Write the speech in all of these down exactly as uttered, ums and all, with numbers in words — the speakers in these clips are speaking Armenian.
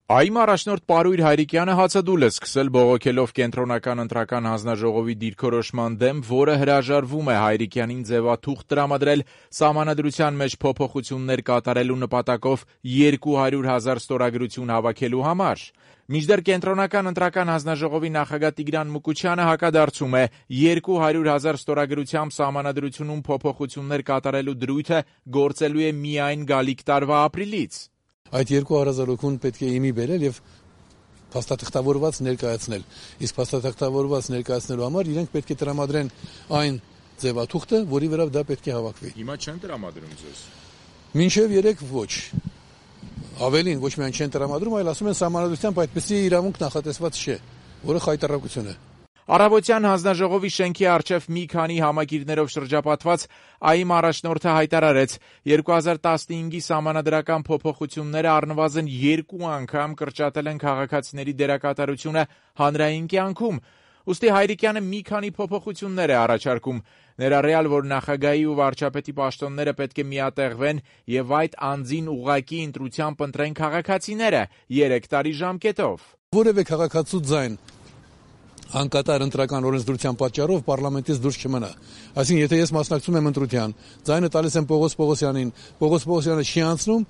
ԱԻ-ի առաջնորդ Պարույր Հայրիկյանը հացադուլ է սկսել բողոքելով Կենտրոնական ընտրական հանձնաժողովի դիրքորոշման դեմ, որը հրաժարվում է Հայրիկյանին ձևաթուղթ տրամադրել Սահմանադրության մեջ փոփոխություններ կատարելու նպատակով երկու հարյուր հազար ստորագրություն հավաքելու համար։ Մինչդեռ Կենտրոնական ընտրական հանձնաժողովի նախագահ Տիգրան Մուկուչյանը հակադարձում է երկու հարյուր հազար ստորագրությամբ Սահմանադրությունում փոփոխություններ կատարելու դրույթը գործելու է միայն գալիք տարվա ապրիլից։ Այդ երկու հարազատություն պետք է իմի բերել եւ փաստաթղթավորված ներկայացնել։ Իսկ փաստաթղթավորված ներկայացնելու համար իրենք պետք է տրամադրեն այն ձևաթուղթը, որի վրա դա պետք է հավաքվի։ Հիմա չեն տրամադրում ձեզ։ Մինչեւ երեք ոչ։ Ավելին ոչ միայն չեն տրամադրում, այլ ասում են Սահմանադրությամբ այդպիսի իրավունք նախատեսված չէ, որը խայտարակություն է։ Առավոտյան հանձնաժողովի շենքի առջև մի քանի համագիրներով շրջապատված ԱԻ-ի առաջնորդը հայտարարեց, երկու հազար տասնհինգի սահմանադրական փոփոխությունները առնվազն երկու անգամ կրճատել են քաղաքացիների դերակատարությունը հանրային կյանքում։ Ուստի Հայրիկյանը մի քանի փոփոխություններ է առաջարկում, ներառյալ, որ նախագահի ու վարչապետի պաշտոնները պետք է միատեղվեն եւ այդ անձին ուղղակի ընտրությամբ ընտրեն քաղաքացիները երեք տարի ժամկետով։ Որևէ քաղաքացու ձայն անկատար ընտրական օրենսդրության պատճառով պարլամենտից դուրս չմնա։ Այսինքն, եթե ես մասնակցում եմ ընտրության, ձայնը տալիս եմ Պողոս Պողոսյանին, Պողոս Պողոսյանը չի անցնում,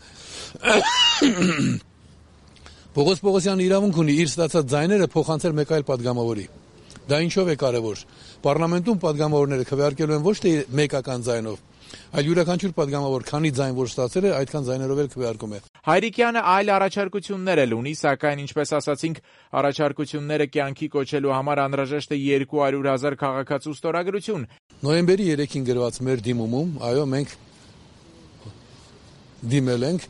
Պողոս Պողոսյանը իրավունք ունի իր ստացած ձայները փոխանցել մեկ այլ падգամավորի։ Դա ինչով է կարևոր։ Պարլամենտում падգամավորները քվեարկելու են ոչ թե մեկական ձայնով, այլ յուրաքանչյուր падգամավոր քանի ձայն որ ստացել է, այդքան ձայներով էլ քվեարկում է։ Հայրիկյանը այլ առաջարկություններ էլ ունի, սակայն ինչպես ասացինք, առաջարկությունները կյանքի կոչելու համար անհրաժեշտ է երկու հարյուր հազար քաղաքացու ստորագրություն։ Նոյեմբերի երեքին գրված մեր դիմումում, այո, մենք դիմել ենք,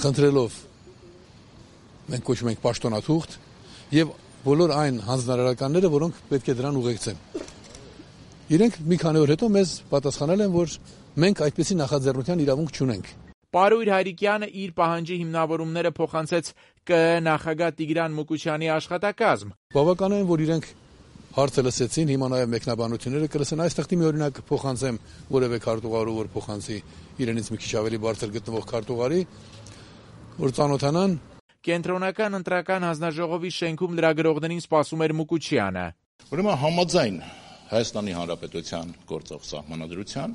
խնդրելով, մենք կոչում ենք պաշտոնաթուղթ եւ բոլոր այն հանձնարարականները, որոնք պետք է դրան ուղեկցեն։ Իրենք մի քանի օր հետո մեզ պատասխանել են, որ մենք այդպիսի նախաձեռնության իրավունք չունենք։ Պարույր Հայրիկյանը իր պահանջի հիմնավորումները փոխանցեց ԿԸ նախագահ Տիգրան Մուկուչյանի աշխատակազմ։ Բավական է, որ իրենք հարցը լսեցին, հիմա նաև մեկնաբանությունները կլսեն։ Այստեղի մի օրինակ փոխանցեմ որևէ քարտուղարու, որ փոխանցի իրենից մի քիչ ավելի բարձր գտնվող քարտուղարի, որ ծանոթանան։ Կենտրոնական ընտրական հանձնաժողովի շենքում լրագրողներին սպասում էր Մուկուչյանը։ Ուրեմն համաձայն Հայաստանի Հանրապետության գործող սահմանադրության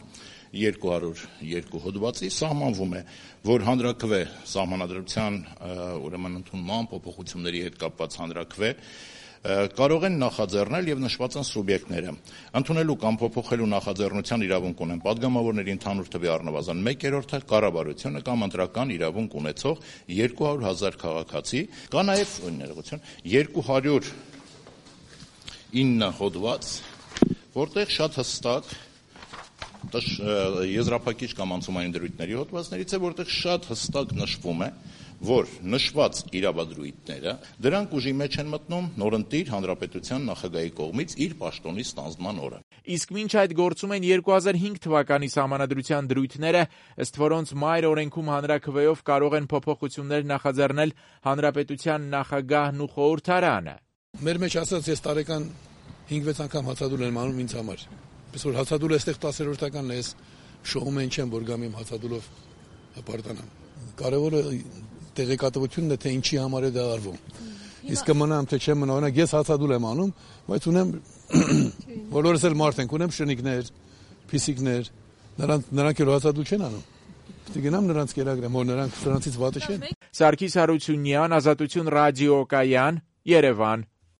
երկու հարյուր երկու հոդվածի սահմանվում է, որ հանրաքվե սահմանադրության ուրեմն ընդունման փոփոխությունների հետ կապված հանրաքվե կարող են նախաձեռնել եւ նշված են սուբյեկտները։ Ընդունելու կամ փոփոխելու նախաձեռնության իրավունք ունեն падգամավորների ընդհանուր թվի առնվազն մեկ երրորդը, կառավարությունը կամ ընտրական իրավունք ունեցող երկու հարյուր հազար քաղաքացի, կա նաեւ ներողություն երկու հարյուր ինը հոդված, որտեղ շատ հստակ եզրափակիչ կամ անցումային դրույթների հոդվածներից է, որտեղ շատ հստակ նշվում է, որ նշված իրավադրույթները դրանք ուժի մեջ են մտնում նորընտիր հանրապետության նախագահի կողմից իր պաշտոնի ստանձնման օրը։ Իսկ մինչ այդ գործում են երկու հազար հինգ թվականի սահմանադրության դրույթները, ըստ որոնց մայր օրենքում հանրաքվեով կարող են փոփոխություններ նախաձեռնել հանրապետության նախագահն ու խորհրդարանը։ Մեր մեջ ասած ես տարեկան հինգ-վեց անգամ հացադուլ եմ անում ինձ համար։ Պես որ հացադուլը այստեղ տասերորդականն է, ես շոում են չեմ, որ գամ իմ հացադուլով հպարտանամ։ Կարևորը տեղեկատվությունն է, թե ինչի համար է դա արվում։ Իսկ կմնամ, թե չեմ մնա, օրինակ ես հացադուլ եմ անում, բայց ունեմ բոլորս էլ մարդ ենք, ունեմ շնիկներ, փիսիկներ, նրանք նրանք էլ հացադուլ չեն անում։ Պետք է գնամ նրանց կերակրեմ, որ նրանք նրանցից վատը չեն։ Սարգիս Հարությունյան, Ազատություն ռադիոկայան, Երևան։